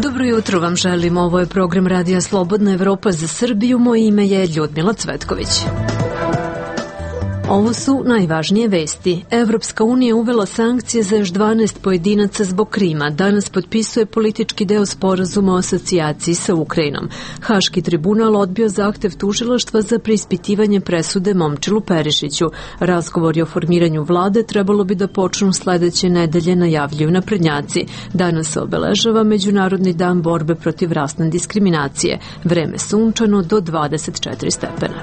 Dobro jutro vam želim, ovo je program Radija Slobodna Evropa za Srbiju, moje ime je Ljudmila Cvetković. Ovo su najvažnije vesti. Evropska unija uvela sankcije za još 12 pojedinaca zbog Krima. Danas potpisuje politički deo sporazuma o asocijaciji sa Ukrajinom. Haški tribunal odbio zahtev tužilaštva za preispitivanje presude Momčilu Perišiću. Razgovori o formiranju vlade trebalo bi da počnu sledeće nedelje, najavljuju naprednjaci. Danas se obeležava Međunarodni dan borbe protiv rasne diskriminacije. Vreme sunčano do 24 stepena.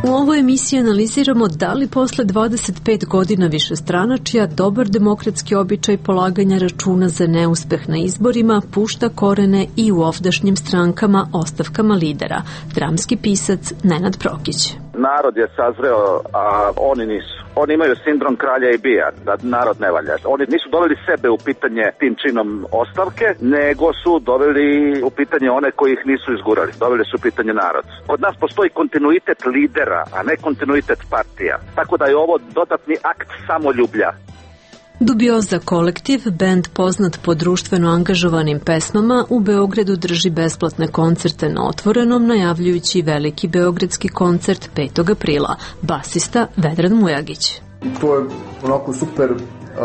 U ovoj emisiji analiziramo da li posle 25 godina višestranačja dobar demokratski običaj polaganja računa za neuspeh na izborima pušta korene i u ovdašnjim strankama ostavkama lidera. Dramski pisac Nenad Prokić. Narod je sazreo, a oni nisu. Oni imaju sindrom kralja i bija, da narod ne valja. Oni nisu doveli sebe u pitanje tim činom ostavke, nego su doveli u pitanje one koji ih nisu izgurali. Doveli su u pitanje narod. Kod nas postoji kontinuitet lidera, a ne kontinuitet partija. Tako da je ovo dodatni akt samoljublja. Dubioza kolektiv, bend poznat po društveno angažovanim pesmama, u Beogradu drži besplatne koncerte na otvorenom, najavljujući veliki beogradski koncert 5. aprila. Basista Vedran Mujagić. To je onako super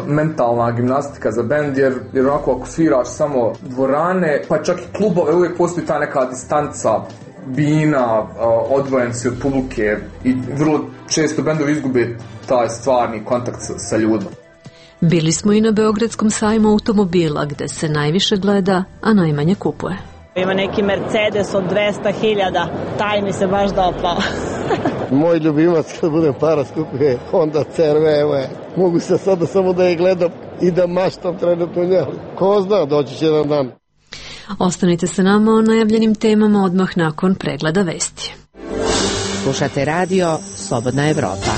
mentalna gimnastika za bend, jer onako ako sviraš samo dvorane, pa čak i klubove, uvijek postoji ta neka distanca, bina, odvojen si od publike i vrlo često bendovi izgube taj stvarni kontakt sa ljudima. Bili smo i na Beogradskom sajmu automobila, gde se najviše gleda, a najmanje kupuje. Ima neki Mercedes od 200.000, taj mi se baš dopao. Moj ljubimac kad budem para skupio Honda CR-V, evo je. Mogu se sada samo da je gledam i da maštam trenutno njeli. Ko zna, doći će jedan dan. Ostanite sa nama o najavljenim temama odmah nakon pregleda vesti. Slušate radio Slobodna Evropa.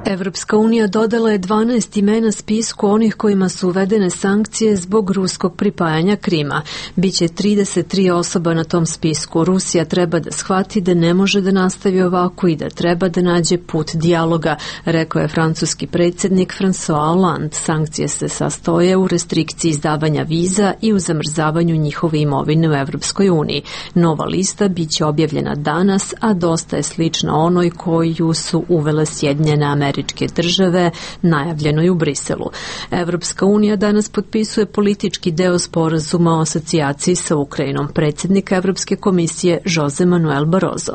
Evropska unija dodala je 12 imena spisku onih kojima su uvedene sankcije zbog ruskog pripajanja Krima. Biće 33 osoba na tom spisku. Rusija treba da shvati da ne može da nastavi ovako i da treba da nađe put dijaloga, rekao je francuski predsjednik François Hollande. Sankcije se sastoje u restrikciji izdavanja viza i u zamrzavanju njihove imovine u Evropskoj uniji. Nova lista biće objavljena danas, a dosta je slična onoj koju su uvele Sjedinjene Američke Države, najavljenoj u Briselu. Evropska unija danas potpisuje politički deo sporazuma o asocijaciji sa Ukrajinom. Predsjednik Evropske komisije Jose Manuel Barroso.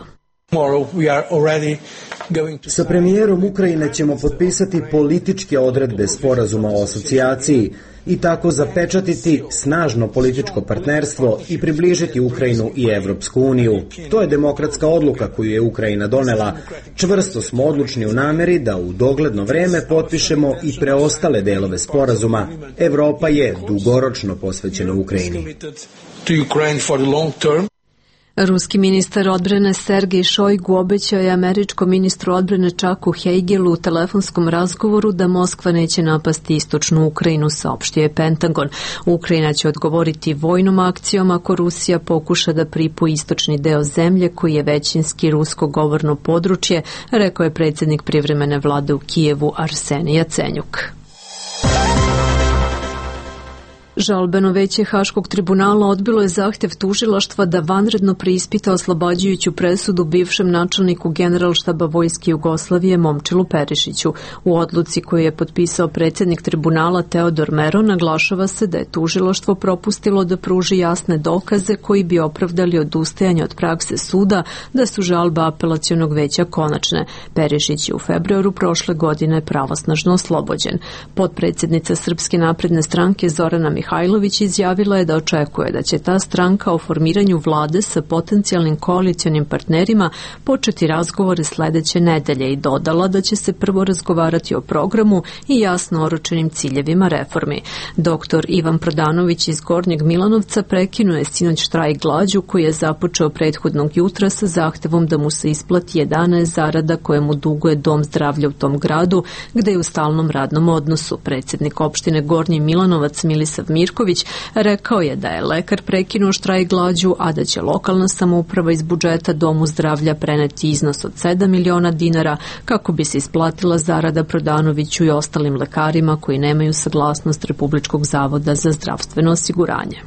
Sa premijerom Ukrajine ćemo potpisati političke odredbe sporazuma o asocijaciji i tako zapečatiti snažno političko partnerstvo i približiti Ukrajinu i Evropsku uniju. To je demokratska odluka koju je Ukrajina donela. Čvrsto smo odlučni u nameri da u dogledno vreme potpišemo i preostale delove sporazuma. Evropa je dugoročno posvećena Ukrajini. Ruski ministar odbrane Sergej Šojgu obećao je američkom ministru odbrane Chucku Hagelu u telefonskom razgovoru da Moskva neće napasti istočnu Ukrajinu, saopštio je Pentagon. Ukrajina će odgovoriti vojnom akcijom ako Rusija pokuša da pripoji istočni deo zemlje koji je većinski rusko govorno područje, rekao je predsjednik privremene vlade u Kijevu Arsenij Jacenjuk. Žalbeno veće Haškog tribunala odbilo je zahtev tužilaštva da vanredno preispita oslobađajuću presudu bivšem načelniku Generalštaba Vojske Jugoslavije Momčilu Perišiću. U odluci koju je potpisao predsjednik tribunala Teodor Mero naglašava se da je tužilaštvo propustilo da pruži jasne dokaze koji bi opravdali odustajanje od prakse suda da su žalbe apelacionog veća konačne. Perišić je u februaru prošle godine pravosnažno oslobođen. Potpredsjednica Srpske napredne stranke Zorana Mihajlović izjavila je da očekuje da će ta stranka o formiranju vlade sa potencijalnim koalicionim partnerima početi razgovore sledeće nedelje i dodala da će se prvo razgovarati o programu i jasno oročenim ciljevima reformi. Doktor Ivan Prodanović iz Gornjeg Milanovca prekinuo je sinoć štrajk glađu koji je započeo prethodnog jutra sa zahtevom da mu se isplati 11 zarada koje mu duguje Dom zdravlja u tom gradu, gde je u stalnom radnom odnosu. Predsjednik opštine Gornji Milanovac Milisav Mirković rekao je da je lekar prekinuo štrajk glađu, a da će lokalna samouprava iz budžeta Domu zdravlja preneti iznos od 7 miliona dinara kako bi se isplatila zarada Prodanoviću i ostalim lekarima koji nemaju saglasnost Republičkog zavoda za zdravstveno osiguranje.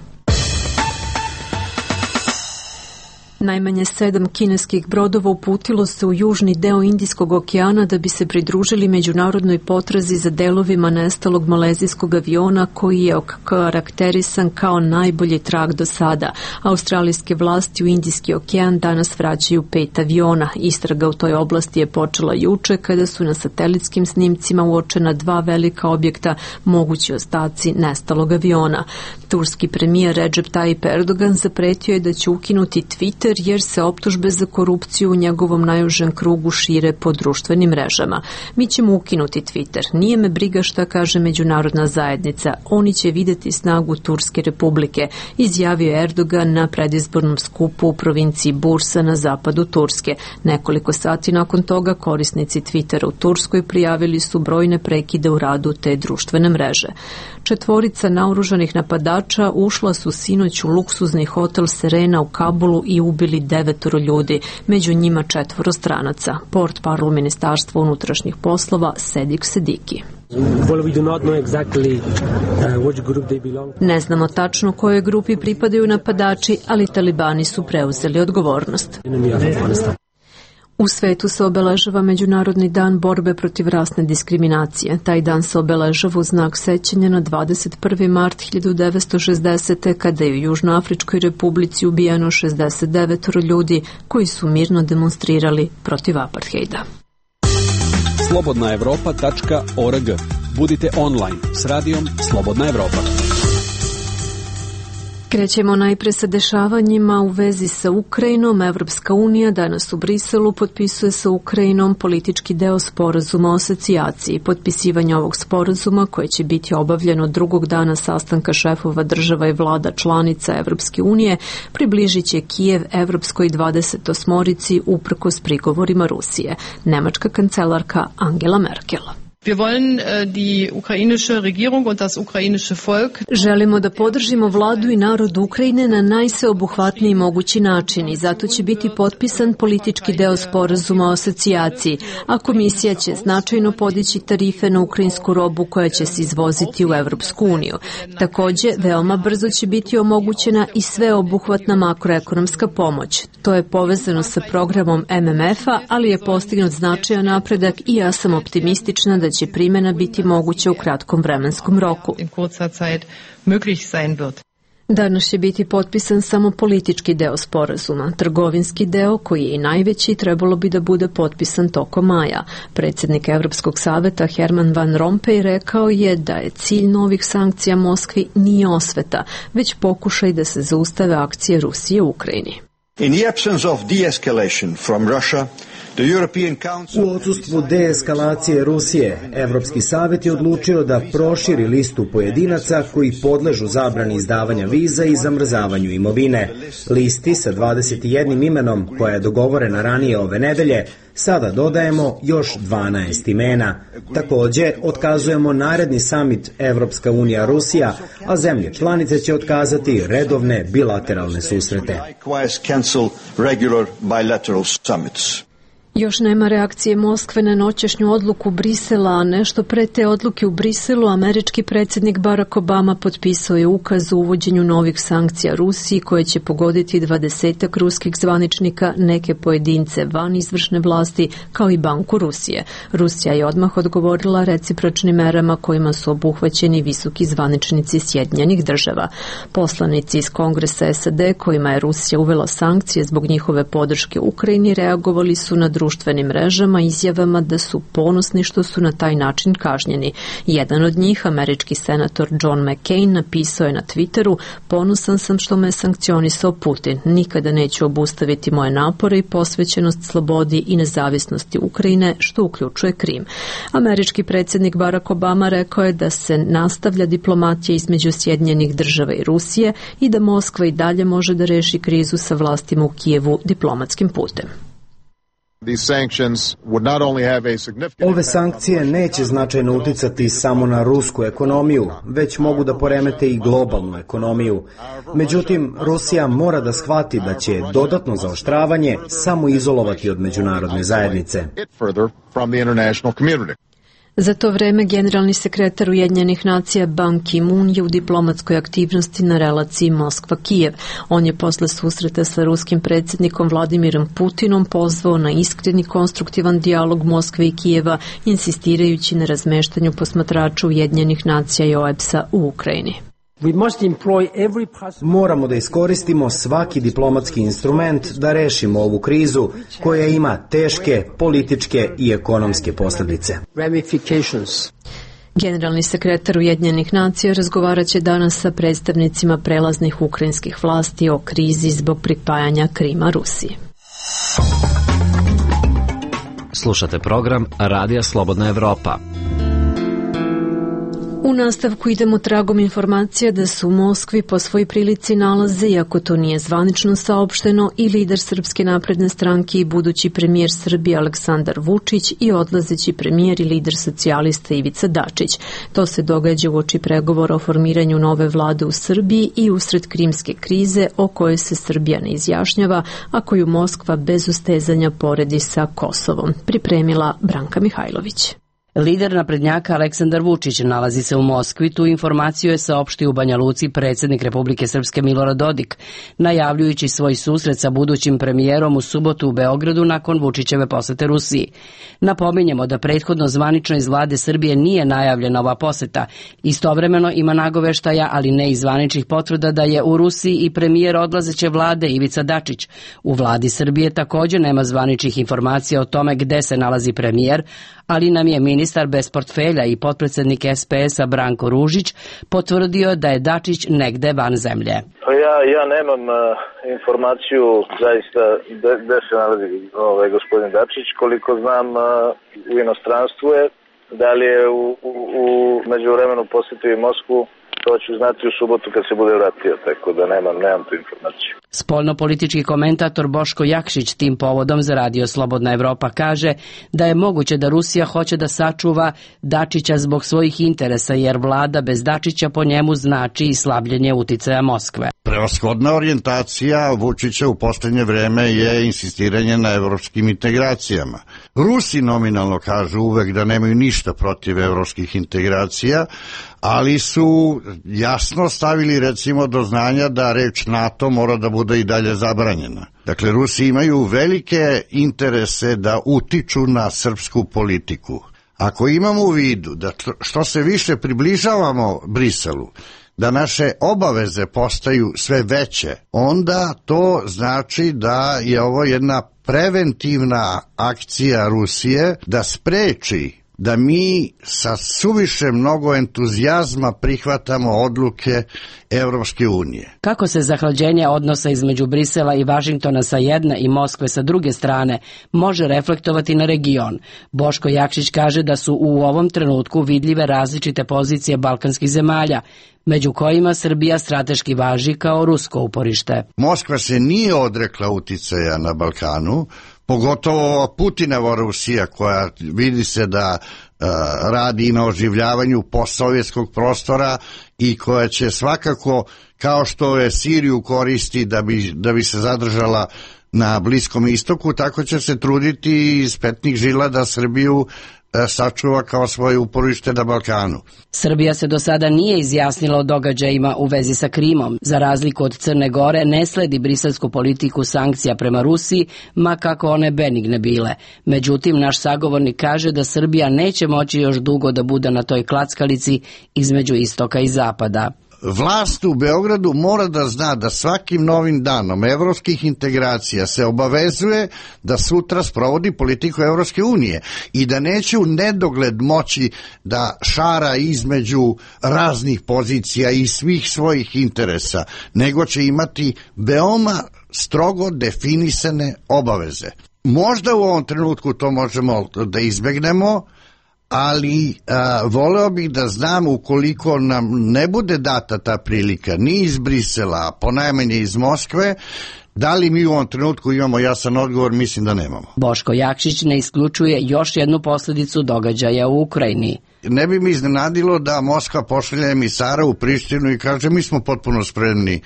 Najmanje 7 kineskih brodova uputilo se u južni deo Indijskog okeana da bi se pridružili međunarodnoj potrazi za delovima nestalog malezijskog aviona koji je okarakterisan kao najbolji trag do sada. Australijske vlasti u Indijski okean danas vraćaju 5 aviona. Istraga u toj oblasti je počela juče kada su na satelitskim snimcima uočena 2 velika objekta, mogući ostaci nestalog aviona. Turski premijer Recep Tayyip Erdogan zapretio je da će ukinuti Twitter jer se optužbe za korupciju u njegovom najužem krugu šire po društvenim mrežama. Mi ćemo ukinuti Twitter. Nije me briga šta kaže međunarodna zajednica. Oni će videti snagu Turske republike, izjavio Erdogan na predizbornom skupu u provinciji Bursa na zapadu Turske. Nekoliko sati nakon toga korisnici Twittera u Turskoj prijavili su brojne prekide u radu te društvene mreže. 4 naoružanih napadača ušla su sinoć u luksuzni hotel Serena u Kabulu i ubili 9 ljudi, među njima 4 stranaca. Portparol Ministarstva unutrašnjih poslova Sedik Sediki. Ne znamo tačno kojoj grupi pripadaju napadači, ali talibani su preuzeli odgovornost. U svetu se obeležava Međunarodni dan borbe protiv rasne diskriminacije. Taj dan se obeležava u znak sećanja na 21. mart 1960. kada je u Južnoafričkoj republici ubijeno 69 ljudi koji su mirno demonstrirali protiv aparthejda. slobodnaevropa.org. Budite online s radijom Slobodna Evropa. Krećemo najpre sa dešavanjima u vezi sa Ukrajinom. Evropska unija danas u Briselu potpisuje sa Ukrajinom politički deo sporazuma o asocijaciji. Potpisivanje ovog sporazuma, koje će biti obavljeno drugog dana sastanka šefova država i vlada članica Evropske unije, približit će Kijev Evropskoj 28-orici uprkos prigovorima Rusije. Nemačka kancelarka Angela Merkel. Wir wollen die ukrainische Regierung und das ukrainische Volk. Želimo da podržimo vladu i narod Ukrajine na najsveobuhvatniji mogući način i zato će biti potpisan politički deo sporazuma o asocijaciji, a komisija će značajno podići tarife na ukrajinsku robu koja će se izvoziti u Evropsku uniju. Takođe, veoma brzo će biti omogućena i sveobuhvatna makroekonomska pomoć. To je povezano sa programom MMF-a, ali je postignut značajan napredak i ja sam optimistična da će primjena biti moguća u kratkom vremenskom roku. Danas će biti potpisan samo politički deo sporazuma. Trgovinski deo, koji je i najveći, trebalo bi da bude potpisan tokom maja. Predsjednik Evropskog saveta Herman Van Rompuy rekao je da je cilj novih sankcija Moskvi nije osveta, već pokušaj da se zaustave akcije Rusije u Ukrajini. In the absence of de-escalation from Russia, u odsustvu deeskalacije Rusije, Evropski savjet je odlučio da proširi listu pojedinaca koji podležu zabrani izdavanja viza i zamrzavanju imovine. Listi sa 21 imenom, koja je dogovorena ranije ove nedelje, sada dodajemo još 12 imena. Takođe, otkazujemo naredni samit Evropska unija-Rusija, a zemlje članice će otkazati redovne bilateralne susrete. Još nema reakcije Moskve na noćašnju odluku Brisela, a nešto pre te odluke u Briselu američki predsjednik Barack Obama potpisao je ukaz o uvođenju novih sankcija Rusiji koje će pogoditi 20 ruskih zvaničnika, neke pojedince van izvršne vlasti, kao i Banku Rusije. Rusija je odmah odgovorila recipročnim merama kojima su obuhvaćeni visoki zvaničnici Sjedinjenih država. Poslanici iz Kongresa SAD kojima je Rusija uvela sankcije zbog njihove podrške Ukrajini reagovali su na društvenim mrežama izjavama da su ponosni što su na taj način kažnjeni. Jedan od njih, američki senator John McCain, napisao je na Twitteru: "Ponosan sam što me sankcionisao Putin. Nikada neću obustaviti moje napore i posvećenost slobodi i nezavisnosti Ukrajine, što uključuje Krim." Američki predsjednik Barack Obama rekao je da se nastavlja diplomatija između Sjedinjenih država i Rusije i da Moskva i dalje može da reši krizu sa vlastima u Kijevu diplomatskim putem. Ove sankcije neće značajno uticati samo na rusku ekonomiju, već mogu da poremete i globalnu ekonomiju. Međutim, Rusija mora da shvati da će dodatno zaoštravanje samo izolovati od međunarodne zajednice. Za to vreme generalni sekretar Ujedinjenih nacija Ban Ki-moon je u diplomatskoj aktivnosti na relaciji Moskva-Kijev. On je posle susreta sa ruskim predsjednikom Vladimirom Putinom pozvao na iskreni konstruktivan dijalog Moskve i Kijeva, insistirajući na razmeštanju posmatrača Ujedinjenih nacija i OEBS-a u Ukrajini. Moramo da iskoristimo svaki diplomatski instrument da rešimo ovu krizu koja ima teške političke i ekonomske posljedice. Generalni sekretar Ujedinjenih nacija razgovarat će danas sa predstavnicima prelaznih ukrajinskih vlasti o krizi zbog pripajanja Krima Rusiji. Slušate program Radija Slobodna Evropa. U nastavku idemo tragom informacija da se u Moskvi po svoj prilici nalaze, iako to nije zvanično saopšteno, i lider Srpske napredne stranke i budući premijer Srbije Aleksandar Vučić i odlazeći premijer i lider socijalista Ivica Dačić. To se događa uoči pregovora o formiranju nove vlade u Srbiji i usred krimske krize o kojoj se Srbija ne izjašnjava, a koju Moskva bez ustezanja poredi sa Kosovom. Pripremila Branka Mihajlović. Lider naprednjaka Aleksandar Vučić nalazi se u Moskvi. Tu informaciju je saopštio u Banja Luci predsjednik Republike Srpske Milorad Dodik, najavljujući svoj susret sa budućim premijerom u subotu u Beogradu nakon Vučićeve posete Rusiji. Napominjemo da prethodno zvanično iz vlade Srbije nije najavljena ova poseta. Istovremeno ima nagoveštaja, ali ne i zvaničnih potvrda da je u Rusiji i premijer odlazeće vlade Ivica Dačić. U vladi Srbije također nema zvaničnih informacija o tome gde se nalazi premijer, ali nam je ministar bez portfelja i potpredsjednik SPS-a Branko Ružić potvrdio da je Dačić negde van zemlje. Ja nemam informaciju zaista gde se nalazi gospodin Dačić. Koliko znam, u inostranstvu je. Da li je u međuvremenu posjetio i Moskvu, to ću znati u subotu kad se bude vratio, tako da nemam tu informaciju. Spoljnopolitički komentator Boško Jakšić tim povodom za Radio Slobodna Evropa kaže da je moguće da Rusija hoće da sačuva Dačića zbog svojih interesa, jer vlada bez Dačića po njemu znači i slabljenje uticaja Moskve. Prevashodna orijentacija Vučića u posljednje vreme je insistiranje na evropskim integracijama. Rusi nominalno kažu uvek da nemaju ništa protiv evropskih integracija, ali su jasno stavili recimo do znanja da reč NATO mora da bude i dalje zabranjena. Dakle, Rusi imaju velike interese da utiču na srpsku politiku. Ako imamo u vidu da što se više približavamo Briselu, da naše obaveze postaju sve veće, onda to znači da je ovo jedna preventivna akcija Rusije da spreči da mi sa suviše mnogo entuzijazma prihvatamo odluke Evropske unije. Kako se zahlađenje odnosa između Brisela i Vašingtona sa jedne i Moskve sa druge strane može reflektovati na region? Boško Jakšić kaže da su u ovom trenutku vidljive različite pozicije balkanskih zemalja, među kojima Srbija strateški važi kao rusko uporište. Moskva se nije odrekla uticaja na Balkanu, pogotovo Putinova Rusija, koja vidi se da radi na oživljavanju postsovjetskog prostora i koja će svakako, kao što je Siriju koristi da bi se zadržala na Bliskom istoku, tako će se truditi iz petnih žila da Srbiju sačuva kao svoje uporište na Balkanu. Srbija se do sada nije izjasnila o događajima u vezi sa Krimom. Za razliku od Crne Gore ne sledi briselsku politiku sankcija prema Rusiji, ma kako one benigne bile. Međutim, naš sagovornik kaže da Srbija neće moći još dugo da bude na toj klackalici između istoka i zapada. Vlast u Beogradu mora da zna da svakim novim danom evropskih integracija se obavezuje da sutra sprovodi politiku Evropske unije i da neće u nedogled moći da šara između raznih pozicija i svih svojih interesa, nego će imati veoma strogo definisane obaveze. Možda u ovom trenutku to možemo da izbegnemo, ali voleo bih da znam ukoliko nam ne bude data ta prilika ni iz Brisela, ponajmanje iz Moskve, da li mi u ovom trenutku imamo jasan odgovor? Mislim da nemamo. Boško Jakšić ne isključuje još jednu posledicu događaja u Ukrajini. Ne bi mi iznenadilo da Moskva pošalje emisara u Prištinu i kaže mi smo potpuno spremni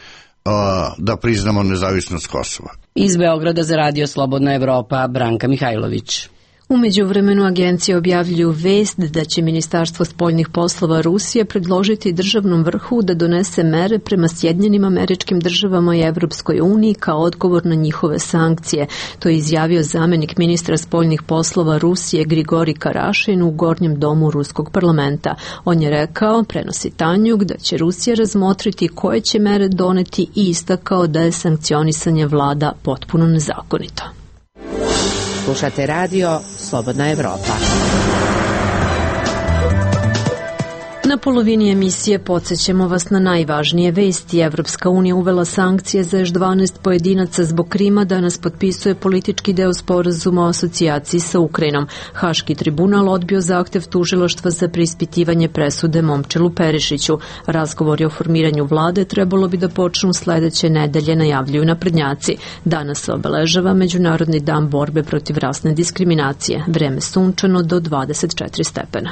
da priznamo nezavisnost Kosova. Iz Beograda za Radio Slobodna Evropa, Branka Mihajlović. U međuvremenu agencije objavljuju vest da će Ministarstvo spoljnih poslova Rusije predložiti državnom vrhu da donese mere prema Sjedinjenim Američkim Državama i Evropskoj uniji kao odgovor na njihove sankcije. To je izjavio zamenik ministra spoljnih poslova Rusije Grigori Karašin u Gornjem domu Ruskog parlamenta. On je rekao, prenosi Tanjuk, da će Rusija razmotriti koje će mere doneti i istakao da je sankcionisanje vlada potpuno nezakonito. Slušate radio Slobodna Evropa. Na polovini emisije podsjećamo vas na najvažnije vesti. Evropska unija uvela sankcije za još 12 pojedinaca zbog Krima, danas potpisuje politički deo sporazuma o asocijaciji sa Ukrajinom. Haški tribunal odbio zahtev tužilaštva za preispitivanje presude Momčilu Perišiću. Razgovori o formiranju vlade trebalo bi da počnu sledeće nedelje, najavljuju naprednjaci. Danas se obeležava Međunarodni dan borbe protiv rasne diskriminacije. Vreme sunčano do 24 stepena.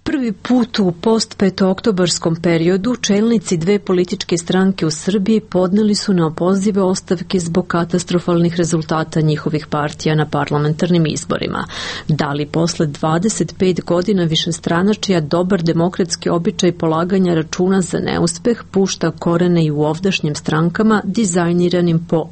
Prvi put u post-petooktobarskom periodu čelnici dve političke stranke u Srbiji podneli su na opozive ostavke zbog katastrofalnih rezultata njihovih partija na parlamentarnim izborima. Da li posle 25 godina višestranačija dobar demokratski običaj polaganja računa za neuspeh pušta korene i u ovdašnjim strankama dizajniranim po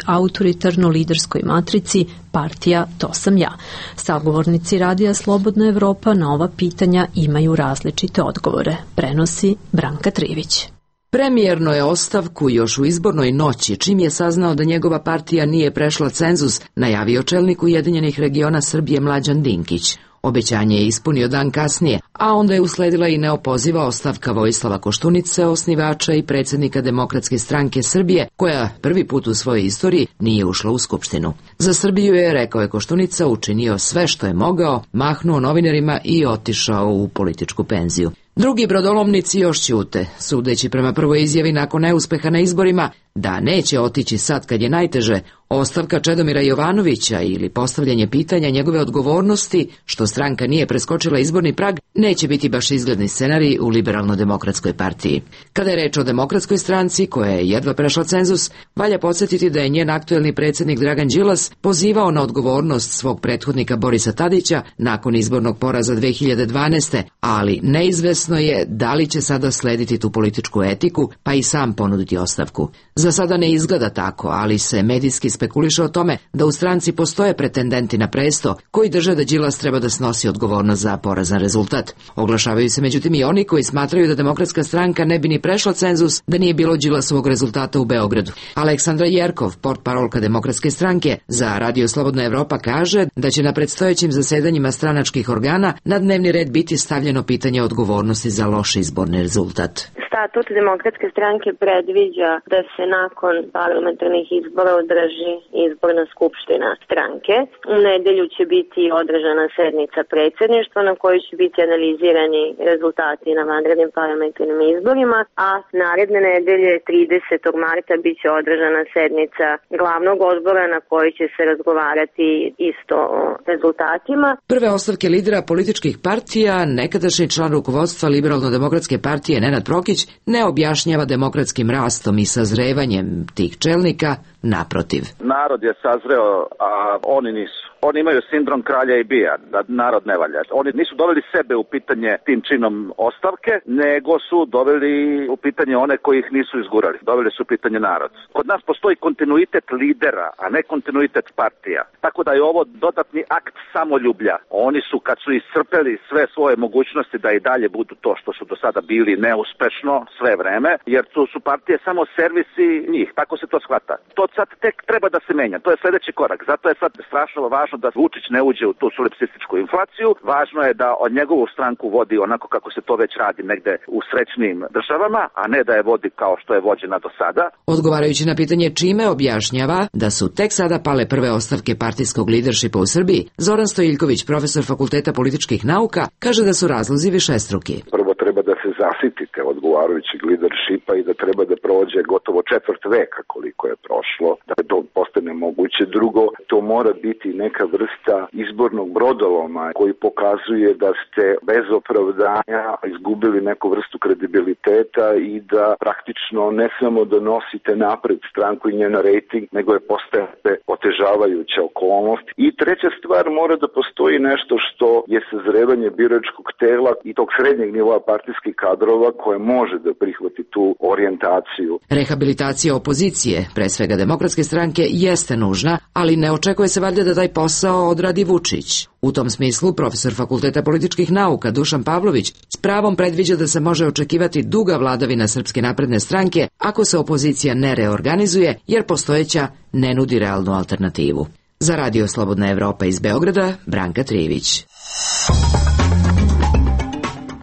autoritarno-liderskoj matrici partija To sam ja. Sagovornici Radija Slobodna Evropa na ova pitanja imaju različite odgovore. Prenosi Branka Trivić. Premijerno je ostavku još u izbornoj noći, čim je saznao da njegova partija nije prešla cenzus, najavio čelnik Ujedinjenih regiona Srbije Mlađan Dinkić. Obećanje je ispunio dan kasnije, a onda je usledila i neopoziva ostavka Vojislava Koštunice, osnivača i predsjednika Demokratske stranke Srbije, koja prvi put u svojoj istoriji nije ušla u Skupštinu. Za Srbiju je, rekao je Koštunica, učinio sve što je mogao, mahnuo novinarima i otišao u političku penziju. Drugi brodolomnici još ćute, sudeći prema prvoj izjavi nakon neuspeha na izborima, da neće otići sad kad je najteže, ostavka Čedomira Jovanovića ili postavljanje pitanja njegove odgovornosti, što stranka nije preskočila izborni prag, neće biti baš izgledni scenarij u Liberalno-demokratskoj partiji. Kada je reč o Demokratskoj stranci, koja je jedva prešla cenzus, valja podsjetiti da je njen aktuelni predsjednik Dragan Đilas pozivao na odgovornost svog prethodnika Borisa Tadića nakon izbornog poraza 2012. Ali neizvesno je da li će sada slediti tu političku etiku, pa i sam ponuditi ostavku. Za sada ne izgleda tako, ali se medijski spekuliše o tome da u stranci postoje pretendenti na presto koji drže da Đilas treba da snosi odgovornost za porazan rezultat. Oglašavaju se međutim i oni koji smatraju da Demokratska stranka ne bi ni prešla cenzus da nije bilo Đilasovog rezultata u Beogradu. Aleksandra Jerkov, portparolka Demokratske stranke, za Radio Slobodna Evropa kaže da će na predstojećim zasedanjima stranačkih organa na dnevni red biti stavljeno pitanje odgovornosti za loš izborni rezultat. Statut Demokratske stranke predviđa da se nakon parlamentarnih izbora održi izborna skupština stranke. U nedelju će biti održana sednica predsjedništva na kojoj će biti analizirani rezultati na vanrednim parlamentarnim izborima, a naredne nedelje 30. marta biće održana sednica glavnog odbora na kojoj će se razgovarati isto o rezultatima. Prve ostavke lidera političkih partija, nekadašnji član rukovodstva Liberalno-demokratske partije Nenad Prokić, ne objašnjava demokratskim rastom i sazrevanjem tih čelnika, naprotiv. Narod je sazreo, a oni nisu. Oni imaju sindrom kralja i bija, da narod ne valja. Oni nisu doveli sebe u pitanje tim činom ostavke, nego su doveli u pitanje one koji ih nisu izgurali. Doveli su u pitanje narod. Kod nas postoji kontinuitet lidera, a ne kontinuitet partija. Tako da je ovo dodatni akt samoljublja. Oni su, kad su iscrpeli sve svoje mogućnosti da i dalje budu to što su do sada bili neuspešno sve vreme, jer tu su partije samo servisi njih. Tako se to shvata. To sad tek treba da se menja. To je sledeći korak. Zato je sad strašno važno važno da Vučić ne uđe u tu solipsističku inflaciju, važno je da od njegovu stranku vodi onako kako se to već radi negde u srećnim državama, a ne da je vodi kao što je vođena do sada. Odgovarajući na pitanje čime objašnjava da su tek sada pale prve ostavke partijskog lideršipa u Srbiji, Zoran Stojiljković, profesor Fakulteta političkih nauka, kaže da su razlozi višestruki. Prvo treba da se zasitite odgovarajućeg lideršipa i da treba da prođe gotovo četvrt veka koliko je prošlo, da to postane moguće. Drugo, to mora biti neka vrsta izbornog brodoloma koji pokazuje da ste bez opravdanja izgubili neku vrstu kredibiliteta i da praktično ne samo da nosite napred stranku i njen rejting, nego je postajete otežavajuća okolnost. I treća stvar, mora da postoji nešto što je sazrevanje biračkog tela i tog srednjeg nivoa partijskih kadrova koje može da prihvati tu orijentaciju. Rehabilitacija opozicije, pre svega Demokratske stranke, jeste nužna, ali ne očekuje se valjda da taj posao odradi Vučić. U tom smislu, profesor Fakulteta političkih nauka Dušan Pavlović s pravom predviđa da se može očekivati duga vladavina Srpske napredne stranke ako se opozicija ne reorganizuje, jer postojeća ne nudi realnu alternativu. Za Radio Slobodna Evropa iz Beograda, Branka Trijević.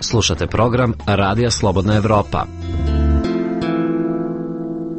Slušate program Radija Slobodna Evropa.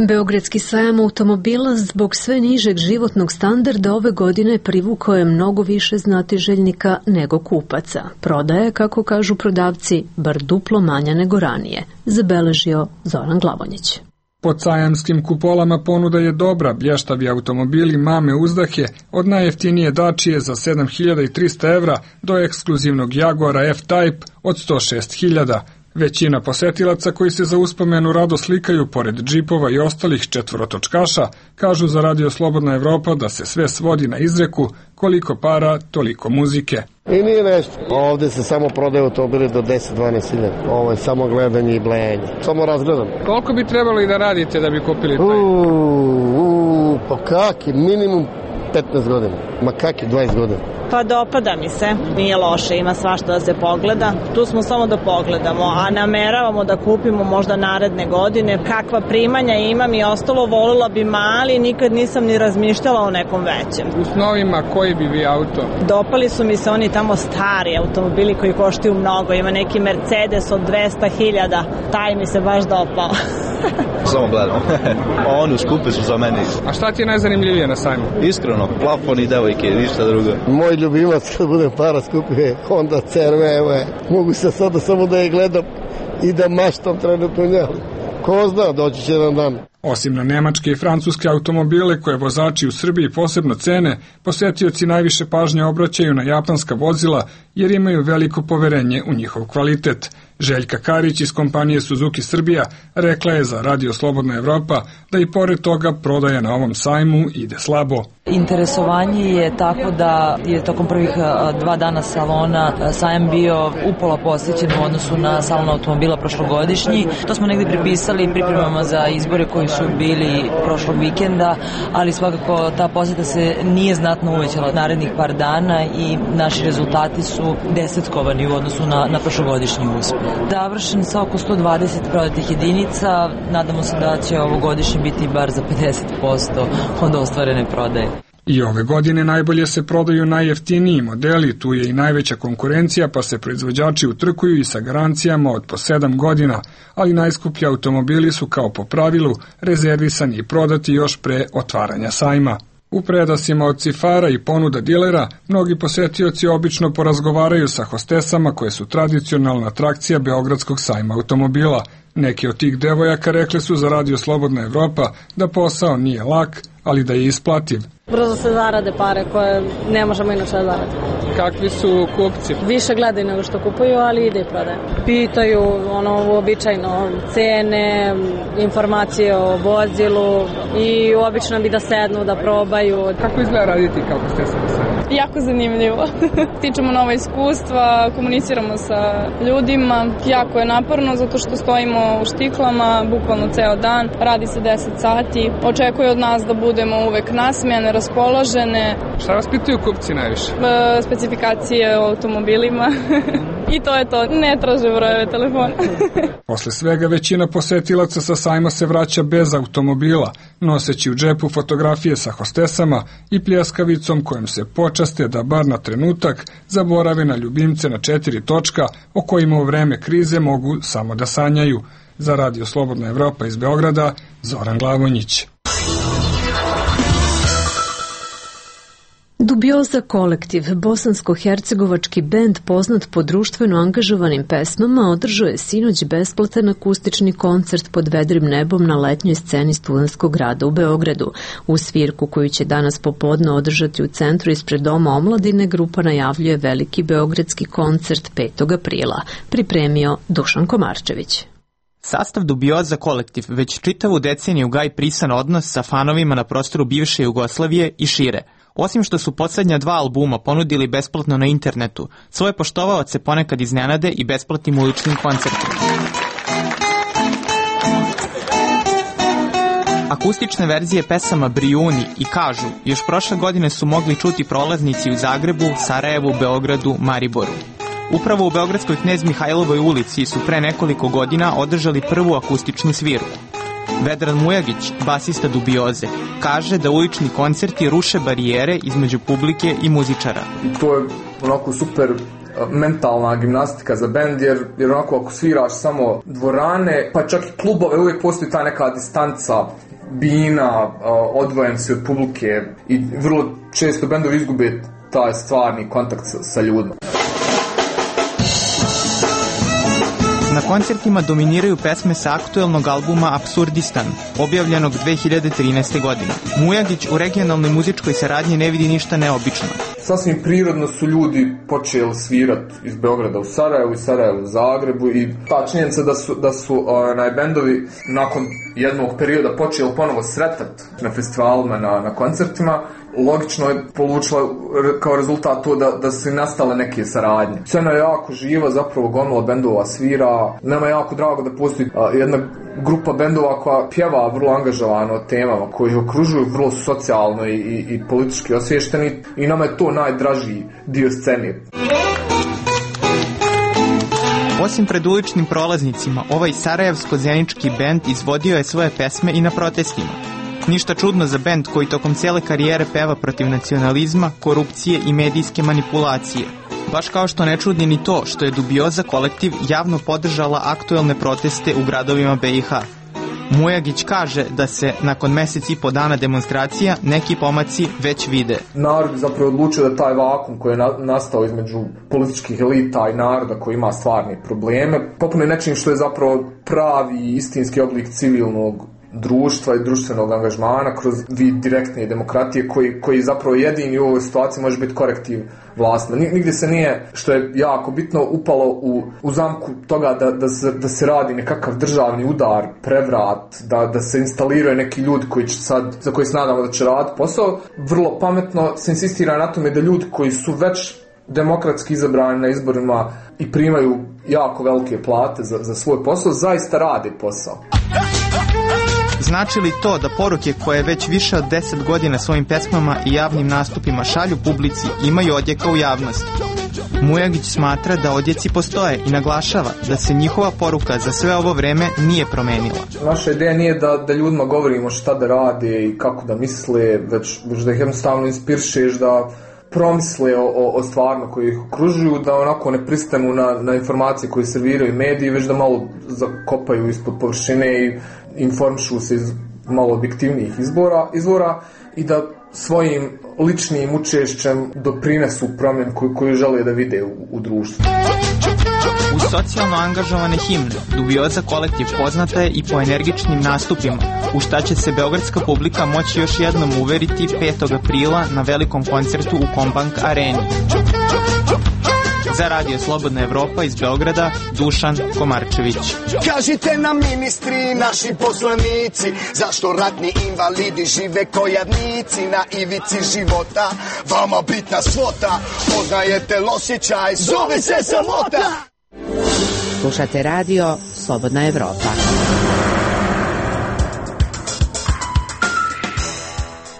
Beogradski sajam automobila zbog sve nižeg životnog standarda ove godine privukao je mnogo više znatiželjnika nego kupaca. Prodaja, kako kažu prodavci, bar duplo manja nego ranije, zabeležio Zoran Glavonjić. Pod sajamskim kupolama ponuda je dobra, blještavi automobili mame uzdahe od najjeftinije Dačije za 7.300 evra do ekskluzivnog Jaguara F-Type od 106.000. Većina posetilaca koji se za uspomenu rado slikaju pored džipova i ostalih četvorotočkaša kažu za Radio Slobodna Evropa da se sve svodi na izreku koliko para, toliko muzike. I nije nešto. Ovde se samo prodaju automobili do 10-12.000. Ovo je samo gledanje i blejanje. Samo razgledam. Koliko bi trebalo i da radite da bi kupili taj? Pa kaki, minimum 15 godina. Ma kaki, 20 godina. Pa dopada mi se, nije loše, ima svašta da se pogleda. Tu smo samo da pogledamo, a nameravamo da kupimo možda naredne godine. Kakva primanja imam i ostalo, volila bi mali, nikad nisam ni razmišljala o nekom većem. U snovima koji bi vi auto? Dopali su mi se oni tamo stari automobili koji koštaju mnogo. Ima neki Mercedes od 200.000, taj mi se baš dopao. Samo gledam. Oni skupi su za mene. A šta ti je najzanimljivije na sajmu? Iskreno, plafon i devojke, ništa drugo. Moj ljubimac kad budem para skupio Honda CR-V. Mogu se sada samo da je gledam i da maštam trenutno njeli. Ko zna, doći će jedan dan. Osim na nemačke i francuske automobile koje vozači u Srbiji posebno cene, posetioci najviše pažnje obraćaju na japanska vozila jer imaju veliko poverenje u njihov kvalitet. Željka Karić iz kompanije Suzuki Srbija rekla je za Radio Slobodna Evropa da i pored toga prodaja na ovom sajmu ide slabo. Interesovanje je tako da je tokom prvih 2 dana salona sajam bio upola posjećen u odnosu na salon automobila prošlogodišnji. To smo negdje pripisali pripremama za izbore koji su bili prošlog vikenda, ali svakako ta posjeta se nije znatno uvećala narednih par dana i naši rezultati su desetkovani u odnosu na prošlogodišnji uspeh. Završen sa oko 120 prodatih jedinica, nadamo se da će ovogodišnji biti bar za 50% od ostvarene prodaje. I ove godine najbolje se prodaju najjeftiniji modeli, tu je i najveća konkurencija, pa se proizvođači utrkuju i sa garancijama od po 7 godina, ali najskuplji automobili su kao po pravilu rezervisani i prodati još pre otvaranja sajma. U predasima od cifara i ponuda dilera, mnogi posetioci obično porazgovaraju sa hostesama koje su tradicionalna atrakcija Beogradskog sajma automobila. Neki od tih devojaka rekli su za Radio Slobodna Evropa da posao nije lak, ali da je isplativ. Brzo se zarade pare koje ne možemo inače da zaradimo. Kakvi su kupci? Više gledaju nego što kupuju, ali ide i prodaje. Pitaju uobičajeno cene, informacije o vozilu i obično bi da sednu, da probaju. Kako izgleda raditi kako ste se sada? Jako zanimljivo. Stičemo nova iskustva, komuniciramo sa ljudima. Jako je naporno zato što stojimo u štiklama bukvalno ceo dan. Radi se 10 sati. Očekuje od nas da budemo uvek nasmejane, raspoložene. Šta vas pitaju kupci najviše? Specifikacije o automobilima. I to je to, ne traže brojeve telefona. Posle svega većina posetilaca sa sajma se vraća bez automobila, noseći u džepu fotografije sa hostesama i pljeskavicom kojom se počaste da bar na trenutak zaborave na ljubimce na 4 točka o kojima u vreme krize mogu samo da sanjaju. Za Radio Slobodna Evropa iz Beograda, Zoran Glavonjić. Dubioza kolektiv, bosansko-hercegovački bend poznat po društveno angažovanim pesmama, održao je sinoć besplatan akustični koncert pod vedrim nebom na letnjoj sceni Studentskog grada u Beogradu. U svirku koju će danas popodne održati u centru ispred Doma omladine, grupa najavljuje veliki beogradski koncert 5. aprila. Pripremio Dušan Komarčević. Sastav Dubioza kolektiv već čitavu deceniju gaji prisan odnos sa fanovima na prostoru bivše Jugoslavije i šire. Osim što su poslednja 2 albuma ponudili besplatno na internetu, svoje poštovaoce ponekad iznenade i besplatnim uličnim koncertima. Akustične verzije pesama Brijuni i Kažu još prošle godine su mogli čuti prolaznici u Zagrebu, Sarajevu, Beogradu, Mariboru. Upravo u beogradskoj Knez Mihajlovoj ulici su pre nekoliko godina održali prvu akustičnu svirku. Vedran Mujagić, basista Dubioze, kaže da ulični koncerti ruše barijere između publike i muzičara. To je onako super mentalna gimnastika za bend, jer onako ako sviraš samo dvorane, pa čak i klubove, uvijek postoji ta neka distanca, bina, odvojen si od publike i vrlo često bendovi izgube taj stvarni kontakt sa ljudima. Na koncertima dominiraju pesme sa aktuelnog albuma Apsurdistan, objavljenog 2013. godine. Mujagić u regionalnoj muzičkoj saradnji ne vidi ništa neobično. Sasvim prirodno su ljudi počeli svirati iz Beograda u Sarajevu i Sarajevu u Zagrebu i ta činjenica da su bendovi nakon jednog perioda počeli ponovo sretati na festivalima, na koncertima, logično je polučila kao rezultat to da su nastale neke saradnje. Scena je jako živa, zapravo gomila bendova svira. Nama je jako drago da postoji jedna grupa bendova koja pjeva vrlo angažovano o temama koji ih okružuju, vrlo socijalno i politički osviješteni i nama je to najdražiji dio scene. Osim pred uličnim prolaznicima, ovaj sarajevsko-zenički bend izvodio je svoje pesme i na protestima. Ništa čudno za bend koji tokom cijele karijere peva protiv nacionalizma, korupcije i medijske manipulacije. Baš kao što ne čudi ni to što je Dubioza kolektiv javno podržala aktuelne proteste u gradovima BiH. Mujagić kaže da se nakon mesec i po dana demonstracija neki pomaci već vide. Narod je zapravo odlučio da taj vakum koji je nastao između političkih elita i naroda koji ima stvarne probleme popune nečim što je zapravo pravi istinski oblik civilnog društva i društvenog angažmana kroz vid direktne demokratije koji zapravo jedini u ovoj situaciji može biti korektiv vlasti. Nigdje se nije, što je jako bitno, upalo u zamku toga da se radi nekakav državni udar, prevrat, da se instaliraju neki ljudi koji će sad, za koji se nadamo da će raditi posao. Vrlo pametno se insistira na tome da ljudi koji su već demokratski izabrani na izborima i primaju jako velike plate za svoj posao, zaista rade posao. Znači li to da poruke koje već više od 10 godina svojim pesmama i javnim nastupima šalju publici imaju odjeka u javnosti? Mujagić smatra da odjeci postoje i naglašava da se njihova poruka za sve ovo vreme nije promenila. Naša ideja nije da ljudima govorimo šta da rade i kako da misle, već da ih jednostavno inspirišeš da promisle o stvarima koji ih okružuju, da onako ne pristanu na informacije koje serviraju mediji, već da malo zakopaju ispod površine i informišu se iz malo objektivnijih izvora i da svojim ličnim učešćem doprinesu promjenu koju žele da vide u društvu. Uz socijalno angažovane himne, Dubioza kolektiv poznata je i po energičnim nastupima, u šta će se beogradska publika moći još jednom uveriti 5. aprila na velikom koncertu u Kombank areni. Za Radio Slobodna Evropa iz Beograda, Dušan Komarčević. Kažite nam ministri, naši poslanici, zašto ratni invalidi žive ko jadnici na ivici života, vama bitna svota, poznajete l'osjećaj, zove se samota. Slušate Radio Slobodna Evropa.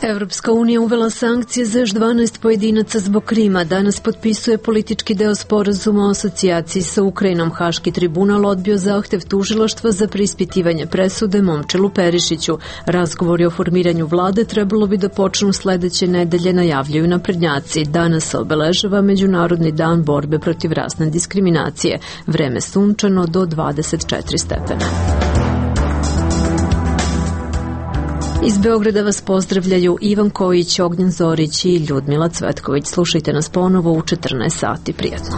Evropska unija uvela sankcije za još 12 pojedinaca zbog Krima. Danas potpisuje politički deo sporazuma o asocijaciji sa Ukrajinom. Haški tribunal odbio zahtev tužilaštva za preispitivanje presude Momčilu Perišiću. Razgovori o formiranju vlade trebalo bi da počnu sledeće nedelje, najavljuju naprednjaci. Danas se obeležava Međunarodni dan borbe protiv rasne diskriminacije. Vreme sunčano do 24 stepena. Iz Beograda vas pozdravljaju Ivan Kojić, Ognjen Zorić i Ljudmila Cvetković. Slušajte nas ponovo u 14 sati. Prijatno.